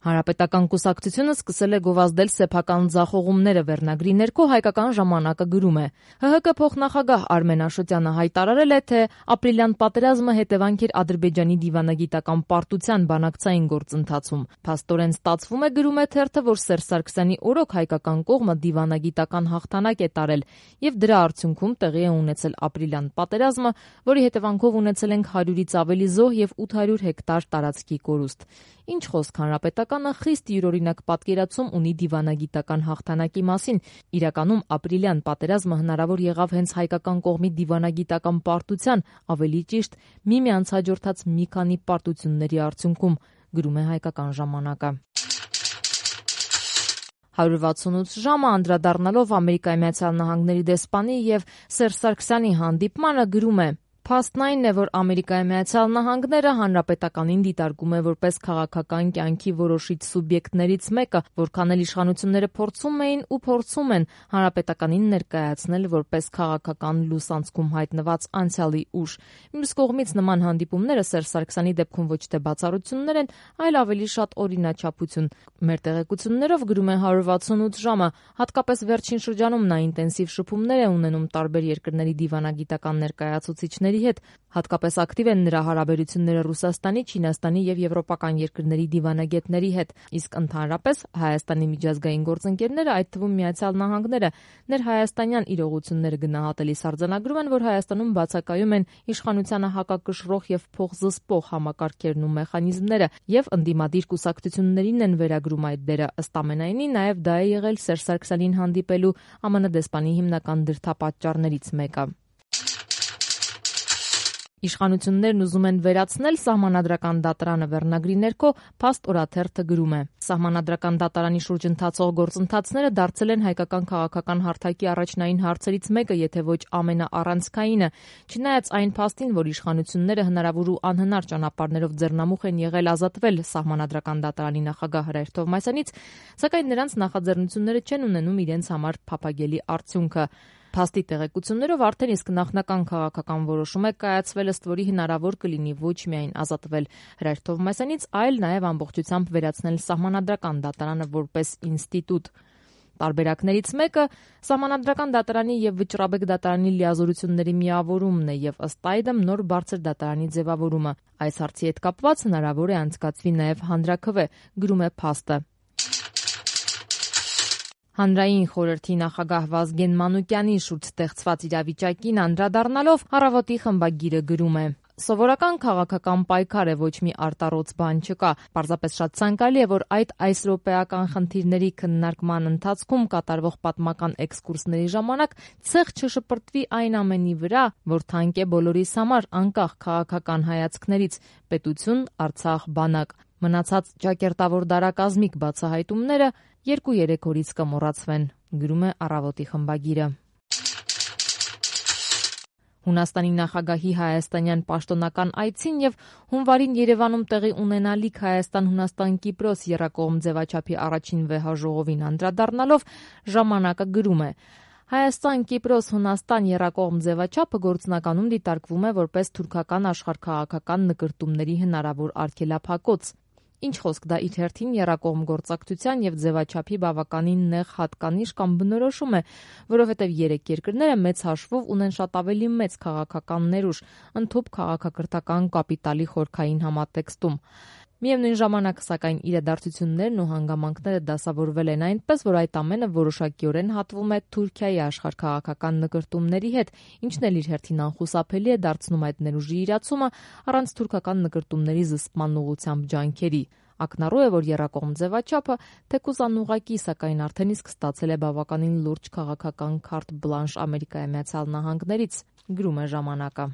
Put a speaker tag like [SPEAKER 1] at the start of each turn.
[SPEAKER 1] Հանրապետական կուսակցությունը սկսել է գովազդել սեփական ձախողումները վերնագրի ներքո Հայկական ժամանակը գրում է. ՀՀԿ փոխնախագահ Արմեն Աշոտյանը հայտարարել է, թե ապրիլյան պատերազմը հետևանք էր Ադրբեջանի դիվանագիտական պարտության բանակցային գործընթացում։ Փաստորեն ստացվում է, գրում է թերթը, որ Սերժ Սարգսյանի օրոք հայկական կողմը դիվանագիտական հաղթանակ է տարել եւ դրա արդյունքում տեղի է ունեցել ապրիլյան պատերազմը, որի հետևանքով ունեցել ենք 100-ից ավելի զոհ եւ 800 հեկտար տարածքի կորուստ։ Ինչ խոսք, Հանրապետականը խիստ յուրօրինակ պատկերացում ունի դիվանագիտական հաղթանակի մասին։ Իրականում ապրիլյան պատերազմը հնարավոր եղավ հենց հայկական կողմի դիվանագիտական պարտության, ավելի ճիշտ միմյանց հաջորդած մի քանի պարտությունների արդյունքում, գրում է Հայկական ժամանակը։ 168 ժամը անդրադառնալով Ամերիկայի Միացյալ Նահանգների դեսպանի եւ Սերժ Սարգսյանի հանդիպմանը գրում է. Փաստն այն է, որ Ամերիկայի Միացյալ Նահանգները հանրապետականին դիտարկում է որպես քաղաքական կյանքի որոշիչ սուբյեկտներից մեկը, որքան էլ իշխանությունները փորձում էին ու փորձում են հանրապետականին ներկայացնել որպես քաղաքական լուսանցքում հայտնված անցյալի ուժ։ Մյուս կողմից նման հանդիպումները Սերժ Սարգսյանի դեպքում ոչ թե բացառություններ են, այլ ավելի շատ օրինաչափություն։ Մեր տեղեկություններով, գրում է 168 ժամը, հատկապես վերջին շրջանում նա ինտենսիվ շփումներ է ունենում տարբեր երկրների դիվանագիտական ներկայացուցիչների հետ, հատկապես ակտիվ են նրա հարաբերությունները Ռուսաստանի, Չինաստանի եւ եվրոպական երկրների դիվանագետների հետ, իսկ ընդհանրապես Հայաստանի միջազգային գործընկերները, այդ թվում Միացյալ Նահանգները, ներհայաստանյան իրողությունները գնահատելիս արձանագրում են, որ Հայաստանում բացակայում են իշխանությանը հակակշռող եւ փոխզսպող համակարգերն ու մեխանիզմները եւ ընդդիմադիր կուսակցություններին են վերագրում այդ դերը։ Ըստ ամենայնի, նաեւ դա է եղել Սերժ Սարգսյանին հանդիպելու ԱՄՆ դեսպանի հիմնական դրդապատճառներից մեկը։ Իշխանություններն ուզում են վերացնել Սահմանադրական դատարանը վերնագրի ներքո Փաստ օրաթերթը գրում է. Սահմանադրական դատարանի շուրջ ընթացող գործընթացները դարձել են հայկական քաղաքական հարթակի առաջնային հարցերից մեկը, եթե ոչ ամենաառանցքայինը, չնայած այն փաստին, որ իշխանությունները հնարավոր ու անհնար ճանապարհներով ձեռնամուխ են եղել ազատվել Սահմանադրական դատարանի նախագահ Հրայր Թովմասյանից, սակայն նրանց նախաձեռնությունները չեն ունենում իրենց համար փափագելի արդյունքը։ Փաստի տեղեկություններով արդեն իսկ նախնական քաղաքական որոշում է կայացվել, ըստ որի հնարավոր կլինի ոչ միայն ազատվել Հրայր Թովմասյանից, այլ նաև ամբողջությամբ վերացնել Սահմանադրական դատարանը որպես ինստիտուտ։ Տարբերակներից մեկը Սահմանադրական դատարանի եւ Վճռաբեկ դատարանի լիազորությունների միավորումն է եւ ըստ այդմ նոր բարձր դատարանի ձևավորումը։ Այս հարցի հետ կապված հնարավոր է անցկացվի նաև հանրաքվե, գրում է Փաստը։ Հանրային խորհրդի նախագահ Վազգեն Մանուկյանի շուրջ ստեղծված իրավիճակին անդրադառնալով Առավոտի խմբագիրը գրում է. Սովորական քաղաքական պայքար է, ոչ մի արտառոց բան չկա։ Պարզապես շատ ցանկալի է, որ այդ այսրոպեական խնդիրների քննարկման ընթացքում կատարվող պատմական էքսկուրսների ժամանակ ցեղ չշպրտվի այն ամենի վրա, որ թանկ է բոլորիս համար, անկախ քաղաքական հայացքներից՝ պետություն, Արցախ, բանակ։ Մնացած ճակերտավոր դարակազմիկ բացահայտումները 2-3 օրից կմոռացվեն, գրում է Առավոտի խմբագիրը։ Հունաստանի նախագահի հայաստանյան պաշտոնական այցին եւ հունվարին Երևանում տեղի ունենալիք Հայաստան-Հունաստան-Կիպրոս եռակողմ ձևաչափի առաջին վեհաժողովին անդրադառնալով ժամանակը գրում է. Հայաստան-Կիպրոս-Հունաստան եռակողմ ձևաչափը գործնականում դիտարկվում է որպես թուրքական աշխարհքաղաքական նկրտումների հնարավոր արգելափակոց։ Ինչ խոսք, դա իր հերթին եռակողմ գործակցության եւ ձևաչափի բավականին նեղ հատկանիշ կամ բնորոշում է, որովհետեւ երեք երկրները մեծ հաշվով ունեն շատ ավելի մեծ քաղաքական ներուժ, ընդհանուր քաղաքակրթական կապիտալի խորքային համատեքստում։ Միևնույն ժամանակ, սակայն, իրադարձություններն ու հանգամանքները դասավորվել են այնպես, որ այդ ամենը որոշակիորեն հատվում է Թուրքիայի աշխարհքաղաքական նկրտումների հետ, ինչն էլ իր հերթին անխուսափելի է դարձնում այդ ներուժի իրացումը առանց թուրքական նկրտումների զսպման ուղղությամբ ջանքերի։ Ակնառու է, որ եռակողմ ձևաչափը թեկուզ անուղղակի, սակայն արդեն իսկ ստացել է բավականին լուրջ քաղաքական քարտ բլանշ Ամերիկայի Միացյալ Նահանգներից, գրում է ժամանակը։